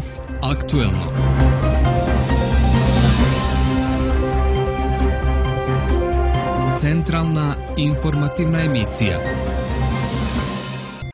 Danas aktuelno. Centralna informativna emisija.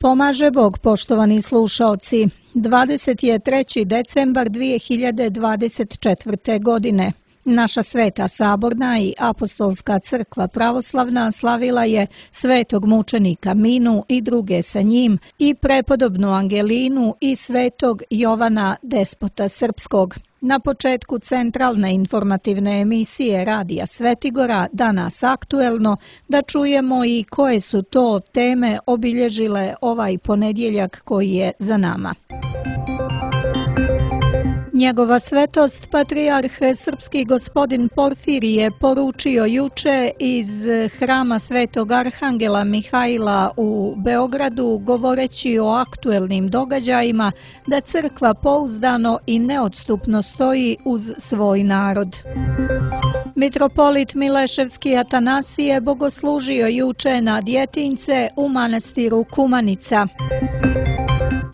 Pomaže Bog, poštovani slušaoci. 23. decembar 2024. godine. Naša Sveta Saborna i Apostolska crkva pravoslavna slavila je svetog mučenika Minu i druge sa njim i prepodobnu Angelinu i svetog Jovana Despota Srpskog. Na početku centralne informativne emisije Radija Svetigora Danas aktuelno da čujemo i koje su to teme obilježile ovaj ponedjeljak koji je za nama. Njegova svetost, patrijarh srpski gospodin Porfirije, poručio juče iz hrama Svetog Arhangela Mihajla u Beogradu, govoreći o aktuelnim događajima, da crkva pouzdano i neodstupno stoji uz svoj narod. Mitropolit Mileševski Atanasije bogoslužio juče na Djetinjce u manastiru Kumanica.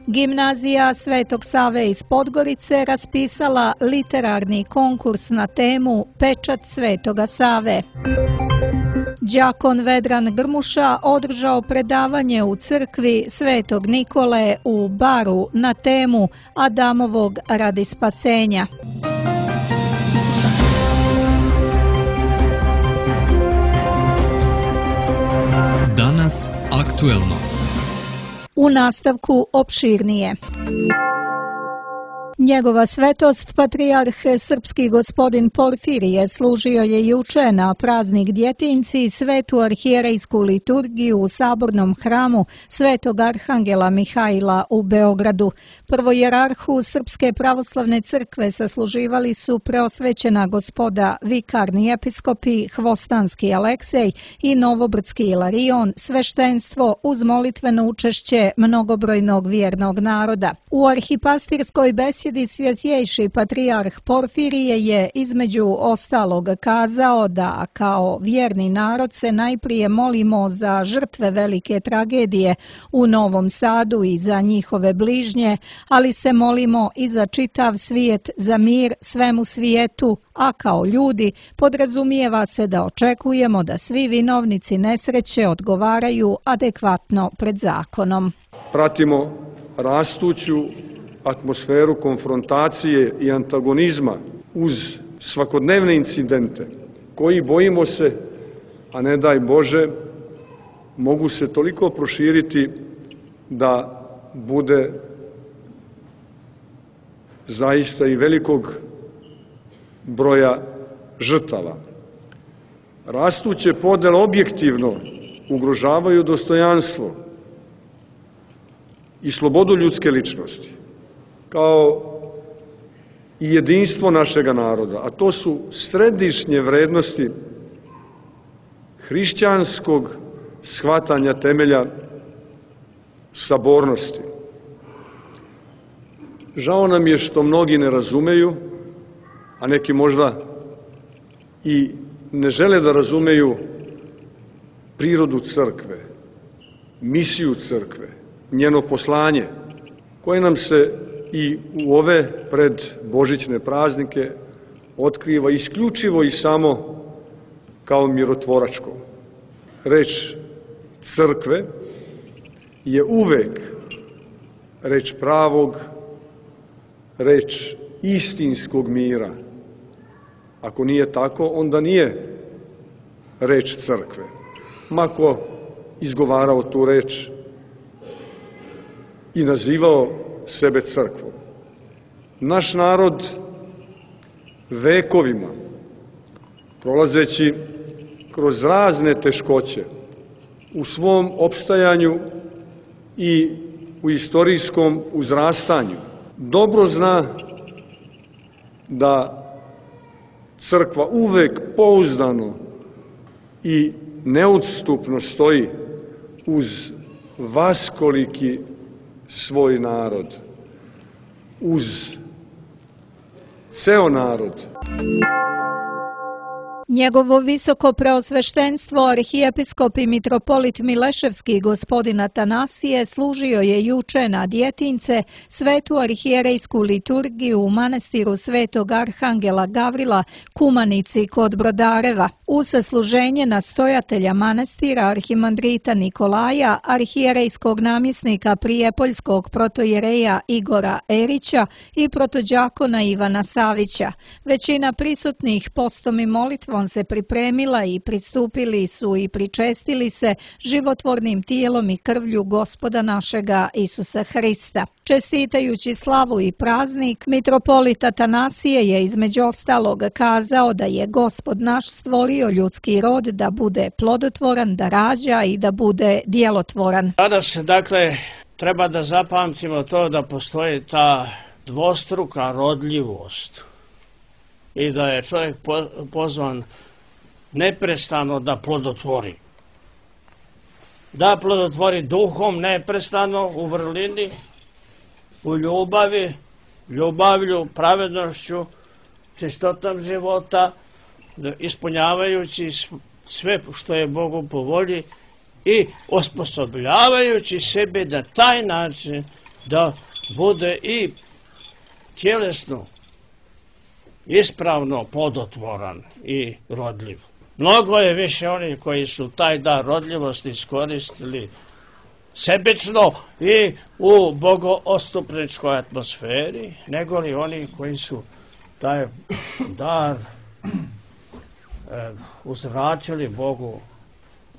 Gimnazija Svetog Save iz Podgorice raspisala literarni konkurs na temu Pečat Svetoga Save. Đakon Vedran Grmuša održao predavanje u crkvi Svetog Nikole u Baru na temu Adamovog radi spasenja. Danas aktuelno. U nastavku opširnije. Njegova svetost, patrijarh srpski gospodin Porfirije, služio je juče na praznik Djetinjci svetu arhijerejsku liturgiju u sabornom hramu Svetog Arhangela Mihajla u Beogradu. Prvojerarhu Srpske pravoslavne crkve sasluživali su preosvećena gospoda vikarni episkopi Hvostanski Aleksej i Novobrdski Ilarion, sveštenstvo uz molitveno učešće mnogobrojnog vjernog naroda. U arhipastirskoj besjedi svjetjejši patrijarh Porfirije je između ostalog kazao da kao vjerni narod se najprije molimo za žrtve velike tragedije u Novom Sadu i za njihove bližnje, ali se molimo i za čitav svijet, za mir svemu svijetu, a kao ljudi podrazumijeva se da očekujemo da svi vinovnici nesreće odgovaraju adekvatno pred zakonom. Pratimo rastuću atmosferu konfrontacije i antagonizma uz svakodnevne incidente koji, bojimo se, a ne daj Bože, mogu se toliko proširiti da bude zaista i velikog broja žrtava. Rastuće podele objektivno ugrožavaju dostojanstvo i slobodu ljudske ličnosti, kao i jedinstvo našega naroda, a to su središnje vrednosti hrišćanskog shvatanja temelja sabornosti. Žao nam je što mnogi ne razumeju, a neki možda i ne žele da razumeju prirodu crkve, misiju crkve, njeno poslanje, koje nam se i u ove predbožićne praznike otkriva isključivo i samo kao mirotvoračko. Reč crkve je uvek reč pravog, reč istinskog mira. Ako nije tako, onda nije reč crkve. Mako izgovarao tu reč i nazivao sebe crkvom. Naš narod vekovima, prolazeći kroz razne teškoće u svom opstajanju i u istorijskom uzrastanju, dobro zna da crkva uvek pouzdano i neodstupno stoji uz vaskoliki svoj narod, uz ceo narod. Njegovo visoko preosveštenstvo arhijepiskop i mitropolit Mileševski gospodin Atanasije služio je juče na Djetince svetu arhijerejsku liturgiju u manastiru Svetog Arhangela Gavrila Kumanici kod Brodareva. Uz sasluženje nastojatelja manastira arhimandrita Nikolaja, arhijerejskog namjesnika prijepoljskog protojereja Igora Erića i protođakona Ivana Savića. Većina prisutnih postom i molitvom se pripremila i pristupili su i pričestili se životvornim tijelom i krvlju Gospoda našega Isusa Hrista. Čestitajući slavu i praznik, mitropolit Atanasije je između ostalog kazao da je Gospod naš stvorio ljudski rod da bude plodotvoran, da rađa i da bude djelotvoran. Danas, treba da zapamtimo to da postoji ta dvostruka rodljivost i da je čovjek pozvan neprestano da plodotvori. Da plodotvori duhom neprestano u vrlini, u ljubavi, ljubavlju, pravednošću, čistotom života, ispunjavajući sve što je Bogu po volji i osposobljavajući sebe na taj način da bude i tjelesno ispravno plodotvoran i rodljiv. Mnogo je više onih koji su taj dar rodljivosti iskoristili sebično i u bogoostupničkoj atmosferi, nego li oni koji su taj dar uzvratili Bogu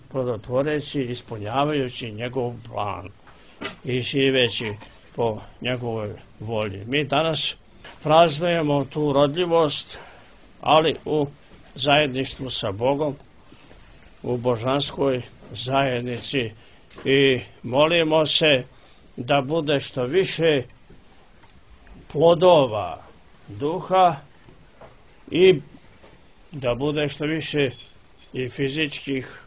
plodotvoreći, ispunjavajući njegov plan i živeći po njegovoj volji. Mi danas praznujemo tu rodljivost, ali u zajedništvu sa Bogom, u božanskoj zajednici i molimo se da bude što više plodova duha i da bude što više i fizičkih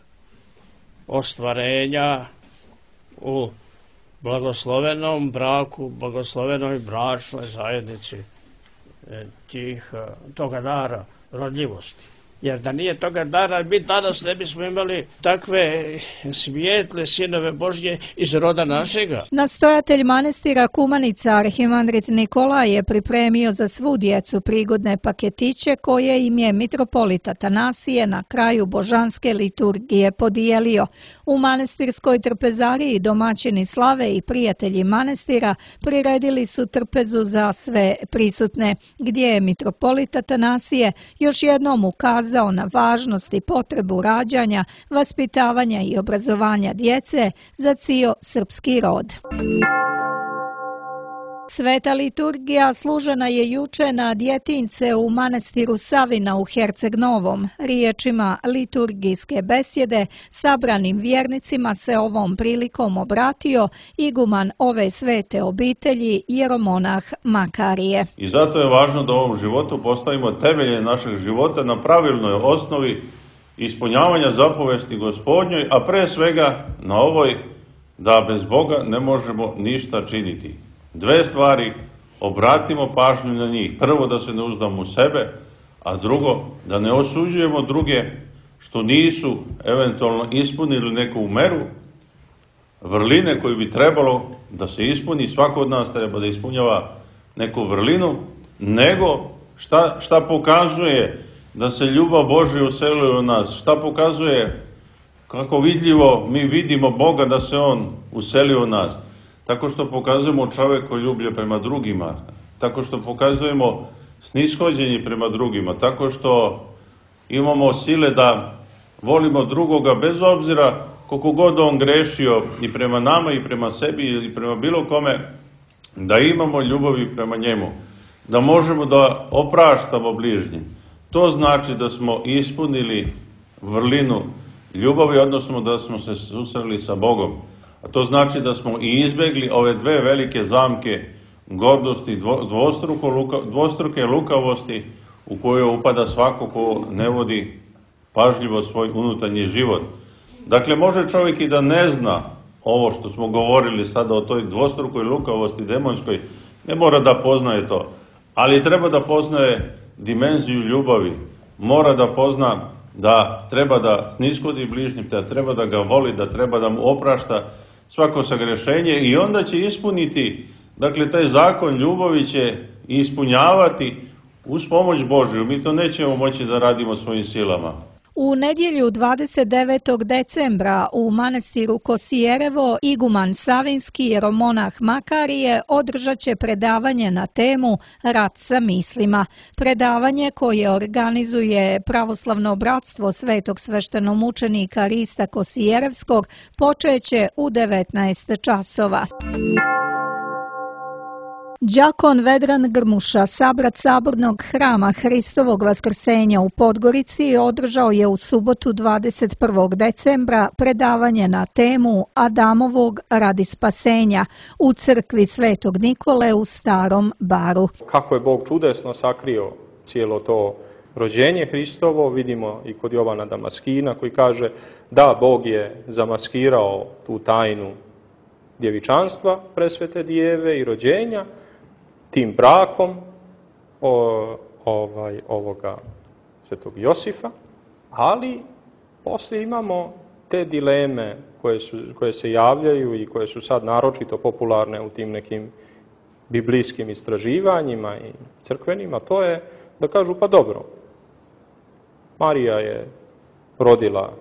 ostvarenja u blagoslovenom braku, blagoslovenoj bračnoj zajednici toga dara rodljivosti. Jer da nije toga dara, mi danas ne bismo imali takve svijetle sinove Božje iz roda našega. Nastojatelj manastira Kumanica, arhimandrit Nikolaj, je pripremio za svu djecu prigodne paketiće koje im je mitropolit Atanasije na kraju božanske liturgije podijelio. U manastirskoj trpezariji domaćini slave i prijatelji manastira priredili su trpezu za sve prisutne, gdje je mitropolit Atanasije još jednom ukazao na važnost i potrebu rađanja, vaspitavanja i obrazovanja djece za cijel srpski rod. Sveta liturgija služena je juče na Djetince u manastiru Savina u Herceg Novom. Riječima liturgijske besjede sabranim vjernicima se ovom prilikom obratio iguman ove svete obitelji jeromonah Makarije. I zato je važno da u ovom životu postavimo temelje našeg života na pravilnoj osnovi ispunjavanja zapovesti Gospodnjoj, a pre svega na ovoj da bez Boga ne možemo ništa činiti. Dve stvari, obratimo pažnju na njih. Prvo, da se ne uzdamo u sebe, a drugo, da ne osuđujemo druge što nisu eventualno ispunili neku meru vrline koju bi trebalo da se ispuni. Svako od nas treba da ispunjava neku vrlinu, nego šta pokazuje da se ljubav Božja uselila u nas, šta pokazuje kako vidljivo mi vidimo Boga da se On uselio u nas. Tako što pokazujemo čovekoljublje prema drugima, tako što pokazujemo snishođenje prema drugima, tako što imamo sile da volimo drugoga bez obzira koliko god on grešio i prema nama i prema sebi ili prema bilo kome, da imamo ljubavi prema njemu, da možemo da opraštamo bližnjim. To znači da smo ispunili vrlinu ljubavi, odnosno da smo se susreli sa Bogom. A to znači da smo i izbjegli ove dve velike zamke gordosti, dvostruke lukavosti u koju upada svako ko ne vodi pažljivo svoj unutarnji život. Dakle, može čovjek i da ne zna ovo što smo govorili sada o toj dvostrukoj lukavosti demonskoj, ne mora da poznaje to, ali treba da poznaje dimenziju ljubavi. mora da pozna da treba da sniskodi bližnjeg, da treba da ga voli, da treba da mu oprašta svako sagrešenje i onda će ispuniti, dakle taj zakon ljubavi će ispunjavati uz pomoć Božju. Mi to nećemo moći da radimo svojim silama. U nedjelju 29. decembra u manastiru Kosijerevo iguman Savinski jeromonah Makarije održat će predavanje na temu Rat sa mislima. Predavanje koje organizuje Pravoslavno bratstvo Svetog sveštenomučenika Rista Kosijerevskog počeće u 19 časova. Đakon Vedran Grmuša, sabrat Sabornog hrama Hristovog Vaskrsenja u Podgorici, održao je u subotu 21. decembra predavanje na temu Adamovog radi spasenja u crkvi Svetog Nikole u Starom Baru. Kako je Bog čudesno sakrio cijelo to rođenje Hristovo, vidimo i kod Jovana Damaskina koji kaže da Bog je zamaskirao tu tajnu djevičanstva presvete Dijeve i rođenja tim brakom ovoga svetog Josifa, ali poslije imamo te dileme koje se javljaju i koje su sad naročito popularne u tim nekim biblijskim istraživanjima i crkvenima, to je da kažu pa dobro, Marija je rodila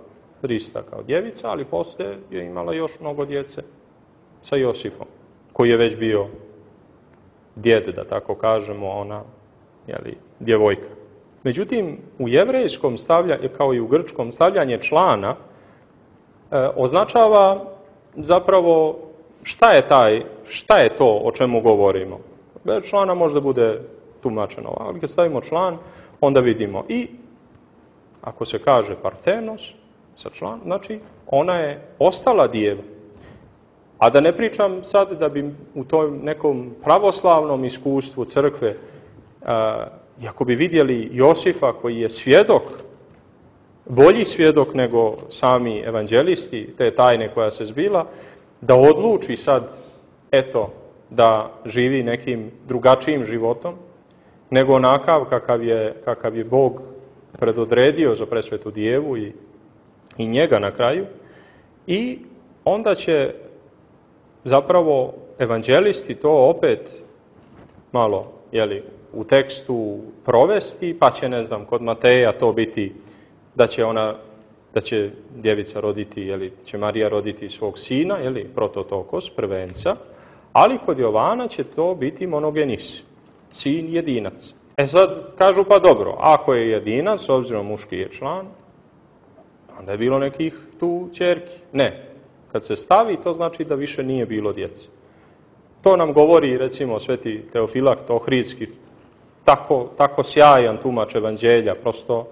Hrista kao djevica, ali poslije je imala još mnogo djece sa Josifom, koji je već bio djed, da tako kažemo, ona, djevojka. Međutim, u jevrejskom stavljanju, kao i u grčkom, stavljanje člana označava zapravo šta je to o čemu govorimo. Bez člana možda bude tumačeno, ali kad stavimo član, onda vidimo i ako se kaže partenos sa član, znači ona je ostala djeva. A da ne pričam sad da bi u tom nekom pravoslavnom iskustvu crkve, ako bi vidjeli Josifa koji je svjedok, bolji svjedok nego sami evanđelisti, te tajne koja se zbila, da odluči sad, eto, da živi nekim drugačijim životom, nego onakav kakav je Bog predodredio za presvetu Djevu i njega na kraju. I onda će zapravo evanđelisti to opet malo u tekstu provesti, pa će, ne znam, kod Mateja to biti da će djevica roditi, će Marija roditi svog sina, prototokos, prvenca, ali kod Jovana će to biti monogenis, sin jedinac. Sad kažu pa dobro, ako je jedinac, s obzirom muški je član, onda je bilo nekih tu ćerki. Ne. Kad se stavi, to znači da više nije bilo djece. To nam govori, recimo, sveti Teofilakt Ohridski, tako sjajan tumač evanđelja, prosto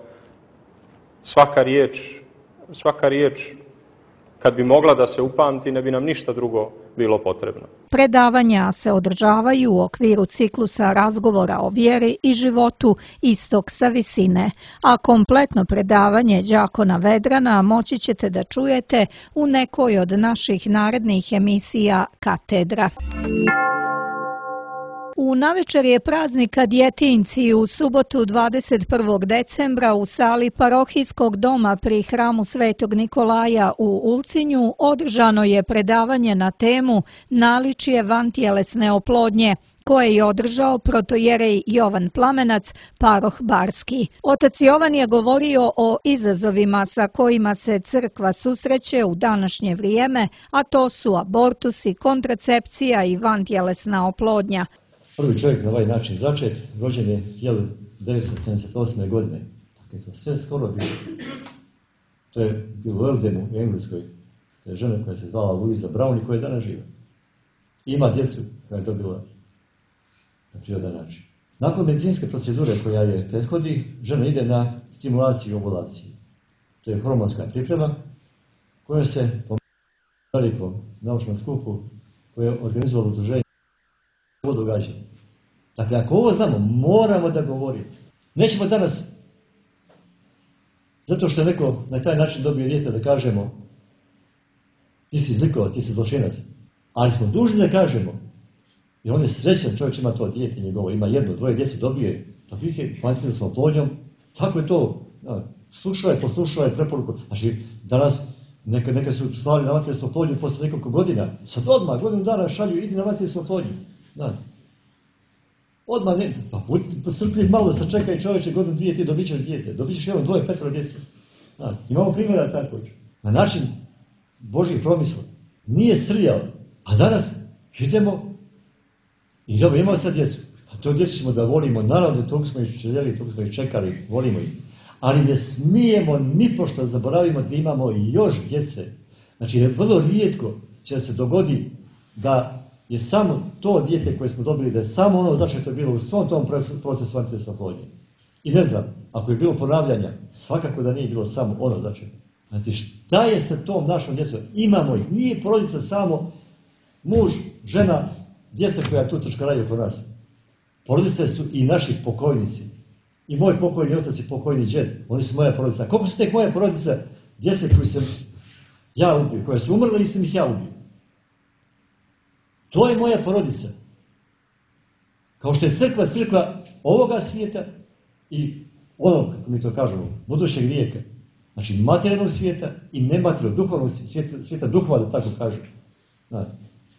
svaka riječ, kad bi mogla da se upamti, ne bi nam ništa drugo bilo potrebno. Predavanja se održavaju u okviru ciklusa razgovora o vjeri i životu Istok sa visine, a kompletno predavanje đakona Vedrana moći ćete da čujete u nekoj od naših narednih emisija Katedra. U navečer je praznika djetinjci u subotu 21. decembra u sali parohijskog doma pri hramu Svetog Nikolaja u Ulcinju održano je predavanje na temu Naličje vantjelesne oplodnje, koje je održao protojerej Jovan Plamenac, paroh Barski. Otac Jovan je govorio o izazovima sa kojima se crkva susreće u današnje vrijeme, a to su abortusi, kontracepcija i vantjelesna oplodnja. Prvi čovjek na ovaj način začet, rođen je 1978. godine. Dakle, to sve skoro bilo. To je bilo u Eldenu, u Engleskoj. To je žena koja se zvala Louisa Brown i koja je danas živa. Ima djecu koja je dobila na prirodan način. Nakon medicinske procedure koja je prethodi, žena ide na stimulaciju ovulacije. To je hormonska priprema koja se po velikom naučnom skupu koje je organizovalo udruženje ovo događanje. Dakle, ako ovo znamo, moramo da govorimo. Nećemo danas, zato što je neko na taj način dobio dijete, da kažemo ti si zlikovac, ti si zločinac. Ali smo dužni da kažemo, jer on je srećan, čovjek ima to dijete njegovo, ima jedno, dvoje djece, dobije ih vanjskom oplodnjom, Tako je to. Poslušala je preporuku. Znači, danas neka su slali na vatrogasnu oplodnju posle nekoliko godina. Sad odmah, godinu dana šalju, idi na vatrogasnu oplodnju. Odmah ne, pa budi strpljiv malo, sad čekaj čovječe, godinu dvije ti dobit ćeš dijete. Dobit ćeš evo 2, 5 djece. Imamo primjera tako. Na način Božih promisla. Nije srljao. A danas idemo i dobro, imamo sad djecu. A to djecu ćemo da volimo. Naravno, toga smo ih željeli, toga smo ih čekali, volimo ih. Ali ne smijemo nipošto zaboravimo da imamo još djece. Znači, vrlo rijetko će se dogodi da je samo to dijete koje smo dobili, da je samo ono začeto bilo u svom tom procesu antidepresivne oplodnje. I ne znam, ako je bilo ponavljanja, svakako da nije bilo samo ono začeto. Znači, šta je sa tom našom djecom? Imamo ih. Nije porodica samo muž, žena, djeca koja tu trčkaraju oko nas. Porodice su i naši pokojnici. I moj pokojni otac i pokojni džed. Oni su moja porodica. Koliko su tek moja porodica djece koju sam ja ubio, koje su umrle i sam ih ja ubio. To je moja porodica. Kao što je crkva ovoga svijeta i onog, kako mi to kažemo, budućeg vijeka. Znači, materijalnog svijeta i nematerijalnog, duhovnog svijeta duhova, da tako kažem.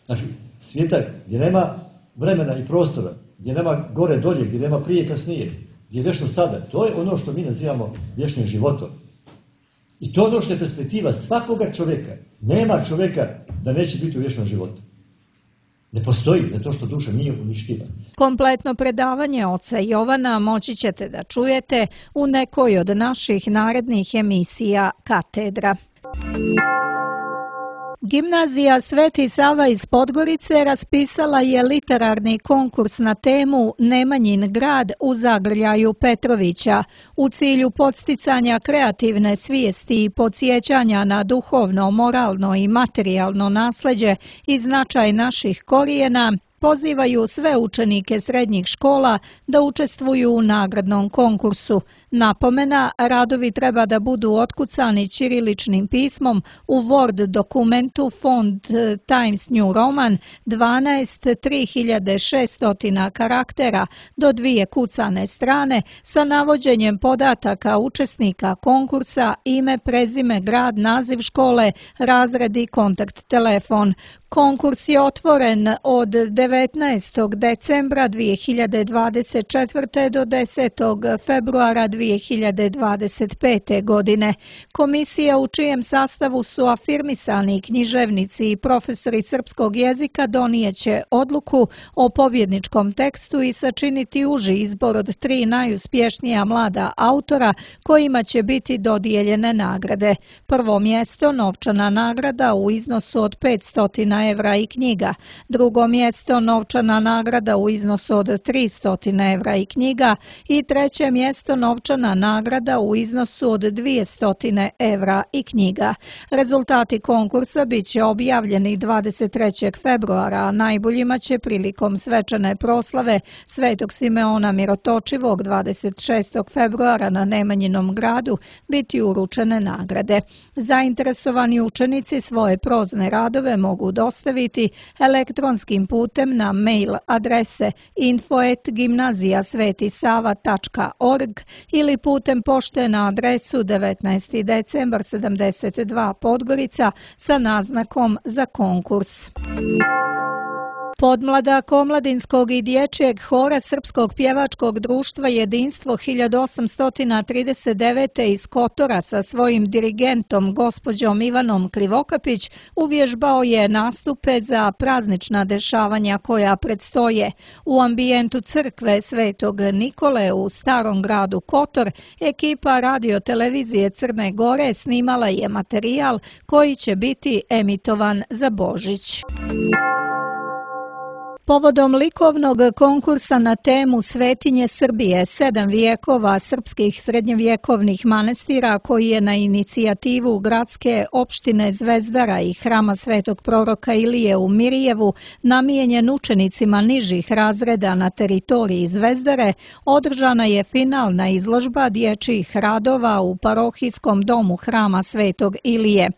Znači, svijeta gdje nema vremena i prostora, gdje nema gore dolje, gdje nema prije kasnije, gdje je vječno sada. To je ono što mi nazivamo vječnim životom. I to je ono što je perspektiva svakoga čovjeka. Nema čovjeka da neće biti u vječnom životu. Ne postoji, zato što duša nije uništiva. Kompletno predavanje oca Jovana moći ćete da čujete u nekoj od naših narednih emisija Katedra. Gimnazija Sveti Sava iz Podgorice raspisala je literarni konkurs na temu Nemanjin grad u zagrljaju Petrovića u cilju podsticanja kreativne svijesti i podsjećanja na duhovno, moralno i materijalno nasleđe i značaj naših korijena. Pozivaju sve učenike srednjih škola da učestvuju u nagradnom konkursu. Napomena, radovi treba da budu otkucani ćiriličnim pismom u Word dokumentu font Times New Roman 12 3600 karaktera do 2 kucane strane sa navođenjem podataka učesnika konkursa, ime, prezime, grad, naziv škole, razred i kontakt telefon. Konkurs je otvoren od 19. decembra 2024. do 10. februara 2025. godine. Komisija u čijem sastavu su afirmisani književnici i profesori srpskog jezika donijeće odluku o pobjedničkom tekstu i sačiniti uži izbor od 3 najuspješnija mlada autora kojima će biti dodijeljene nagrade. Prvo mjesto, novčana nagrada u iznosu od 500 evra i knjiga. Drugo mjesto, novčana nagrada u iznosu od 300 evra i knjiga. I treće mjesto, novčana nagrada u iznosu od 200 evra i knjiga. Rezultati konkursa bit će objavljeni 23. februara, a najboljima će prilikom svečane proslave Svetog Simeona Mirotočivog 26. februara na Nemanjinom gradu biti uručene nagrade. Zainteresovani učenici svoje prozne radove mogu dostaviti elektronskim putem na mail adrese info@gimnazijasvetisava.org ili putem pošte na adresu 19. decembar 72 Podgorica sa naznakom za konkurs. Podmladak omladinskog i dječjeg hora Srpskog pjevačkog društva Jedinstvo 1839. iz Kotora sa svojim dirigentom gospođom Ivanom Krivokapić uvježbao je nastupe za praznična dešavanja koja predstoje. U ambijentu crkve Svetog Nikole u starom gradu Kotor ekipa radiotelevizije Crne Gore snimala je materijal koji će biti emitovan za Božić. Povodom likovnog konkursa na temu Svetinje Srbije, 7 vijekova srpskih srednjevjekovnih manastira koji je na inicijativu gradske opštine Zvezdara i hrama Svetog proroka Ilije u Mirjevu namijenjen učenicima nižih razreda na teritoriji Zvezdare, održana je finalna izložba dječjih radova u parohijskom domu hrama Svetog Ilije.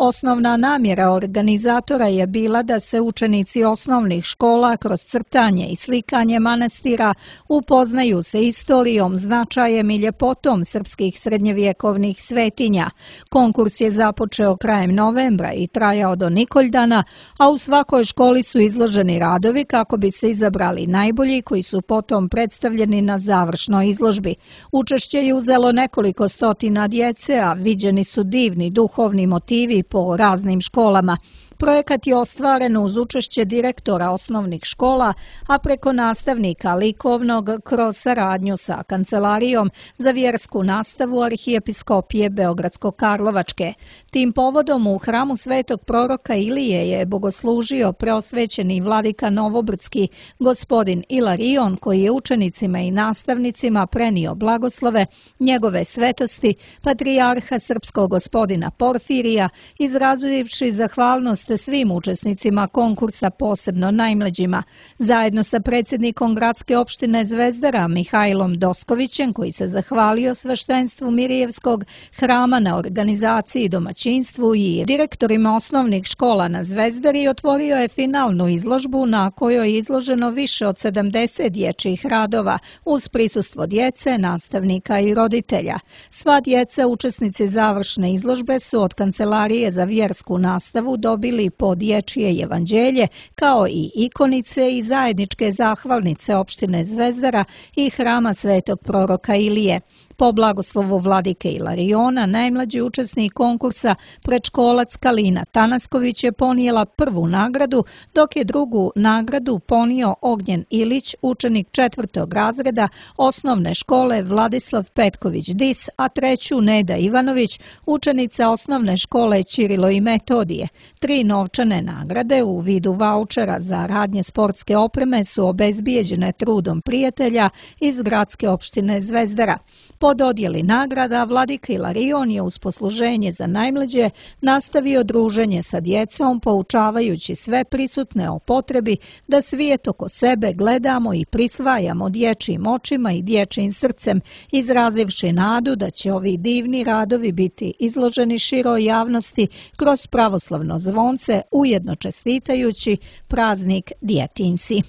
Osnovna namjera organizatora je bila da se učenici osnovnih škola kroz crtanje i slikanje manastira upoznaju se istorijom, značajem i ljepotom srpskih srednjevjekovnih svetinja. Konkurs je započeo krajem novembra i trajao do Nikoldana, a u svakoj školi su izloženi radovi kako bi se izabrali najbolji koji su potom predstavljeni na završnoj izložbi. Učešće je uzelo nekoliko stotina djece, a viđeni su divni duhovni motivi po raznim školama. Projekat je ostvaren uz učešće direktora osnovnih škola, a preko nastavnika likovnog kroz saradnju sa Kancelarijom za vjersku nastavu Arhijepiskopije Beogradsko-Karlovačke. Tim povodom u hramu Svetog proroka Ilije je bogoslužio preosvećeni vladika Novobrdski gospodin Ilarion, koji je učenicima i nastavnicima prenio blagoslove njegove svetosti patrijarha srpskog gospodina Porfirija, izrazivši zahvalnost svim učesnicima konkursa, posebno najmlađima. Zajedno sa predsjednikom gradske opštine Zvezdara Mihajlom Doskovićem, koji se zahvalio sveštenstvu Mirijevskog hrama na organizaciji, domaćinstvu, i direktorima osnovnih škola na Zvezdari, otvorio je finalnu izložbu na kojoj je izloženo više od 70 dječjih radova uz prisustvo djece, nastavnika i roditelja. Sva djeca učesnici završne izložbe su od Kancelarije za vjersku nastavu dobili po dječje evanđelje, kao i ikonice i zajedničke zahvalnice opštine Zvezdara i hrama Svetog proroka Ilije. Po blagoslovu vladike Ilariona, najmlađi učesnik konkursa, predškolac Kalina Tanasković, je ponijela prvu nagradu, dok je drugu nagradu ponio Ognjen Ilić, učenik 4. razreda osnovne škole Vladislav Petković Dis, a treću Neda Ivanović, učenica osnovne škole Ćirilo i Metodije. 3 novčane nagrade u vidu vaučera za radnje sportske opreme su obezbijeđene trudom prijatelja iz gradske opštine Zvezdara. Po dodjeli nagrada, vladika Ilarion je uz posluženje za najmlađe nastavio druženje sa djecom, poučavajući sve prisutne o potrebi da svijet oko sebe gledamo i prisvajamo dječjim očima i dječjim srcem, izrazivši nadu da će ovi divni radovi biti izloženi široj javnosti kroz pravoslavno zvonce, ujedno čestitajući praznik djetinjci.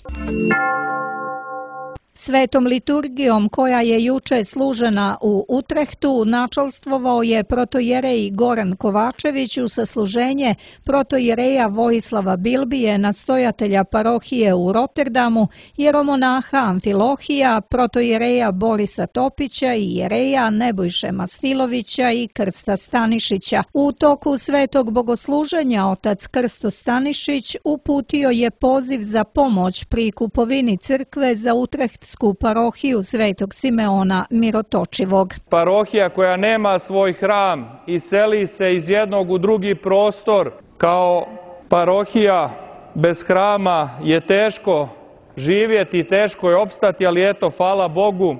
Svetom liturgijom, koja je juče služena u Utrehtu, načelstvovao je protojerej Goran Kovačević u sasluženje protojereja Vojislava Bilbije, nastojatelja parohije u Rotterdamu, jeromonaha Amfilohija, protojereja Borisa Topića i jereja Nebojše Mastilovića i Krsta Stanišića. U toku svetog bogosluženja otac Krsto Stanišić uputio je poziv za pomoć pri kupovini crkve za Utreht parohiju Svetog Simeona Mirotočivog. Parohija koja nema svoj hram i seli se iz jednog u drugi prostor, kao parohija bez hrama je teško živjeti, teško je opstati, ali eto, hvala Bogu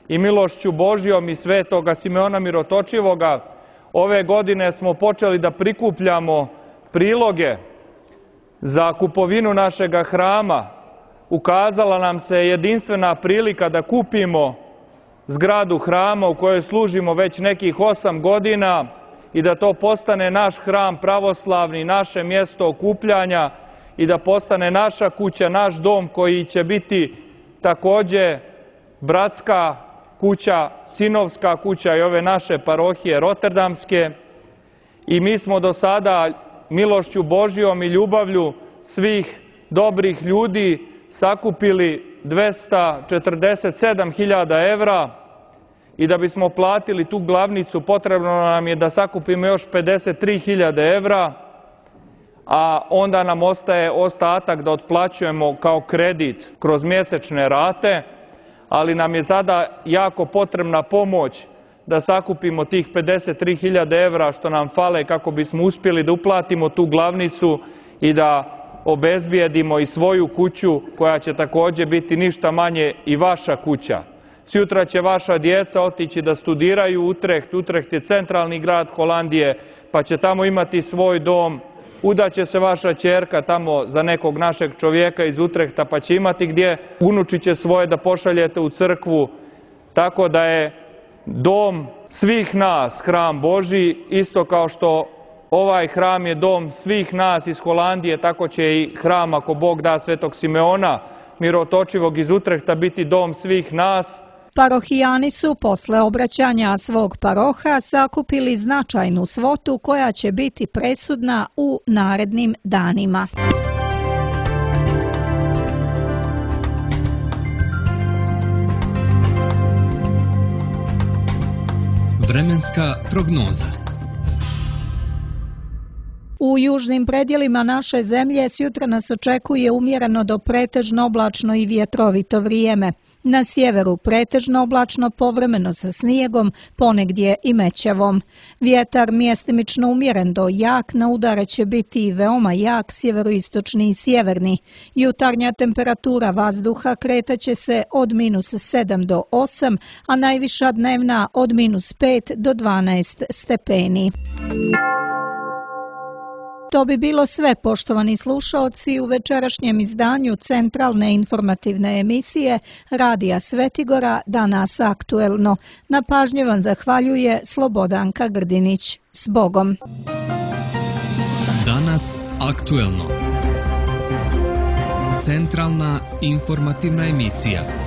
i milošću Božjom i Svetoga Simeona Mirotočivoga, ove godine smo počeli da prikupljamo priloge za kupovinu našega hrama. Ukazala nam se jedinstvena prilika da kupimo zgradu hrama u kojoj služimo već nekih 8 godina i da to postane naš hram pravoslavni, naše mjesto okupljanja i da postane naša kuća, naš dom koji će biti također bratska kuća, sinovska kuća i ove naše parohije rotterdamske. I mi smo do sada milošću Božjom i ljubavlju svih dobrih ljudi sakupili 247.000 evra i da bismo platili tu glavnicu potrebno nam je da sakupimo još 53.000 evra, a onda nam ostaje ostatak da otplaćujemo kao kredit kroz mjesečne rate, ali nam je sada jako potrebna pomoć da sakupimo tih 53.000 evra što nam fale kako bismo uspjeli da uplatimo tu glavnicu i da obezbijedimo i svoju kuću koja će također biti ništa manje i vaša kuća. Sutra će vaša djeca otići da studiraju u Utrecht. Utrecht je centralni grad Holandije, pa će tamo imati svoj dom. Udaće se vaša ćerka tamo za nekog našeg čovjeka iz Utrehta, pa će imati gdje. Unuči će svoje da pošaljete u crkvu. Tako da je dom svih nas hram Božji, isto kao što ovaj hram je dom svih nas iz Holandije, tako će i hram, ako Bog da, Svetog Simeona Mirotočivog iz Utrehta biti dom svih nas. Parohijani su posle obraćanja svog paroha sakupili značajnu svotu koja će biti presudna u narednim danima. Vremenska prognoza. U južnim predjelima naše zemlje sjutra nas očekuje umjereno do pretežno oblačno i vjetrovito vrijeme. Na sjeveru pretežno oblačno, povremeno sa snijegom, ponegdje i mećavom. Vjetar mjestimično umjeren do jak, na udare će biti i veoma jak sjeveroistočni i sjeverni. Jutarnja temperatura vazduha kretaće se od -7 do 8, a najviša dnevna od -5 do 12 stepeni. To bi bilo sve, poštovani slušaoci, u večerašnjem izdanju centralne informativne emisije Radija Svetigora Danas aktuelno. Na pažnji vam zahvaljuje Slobodanka Grdinić. S Bogom! Danas aktuelno. Centralna informativna emisija.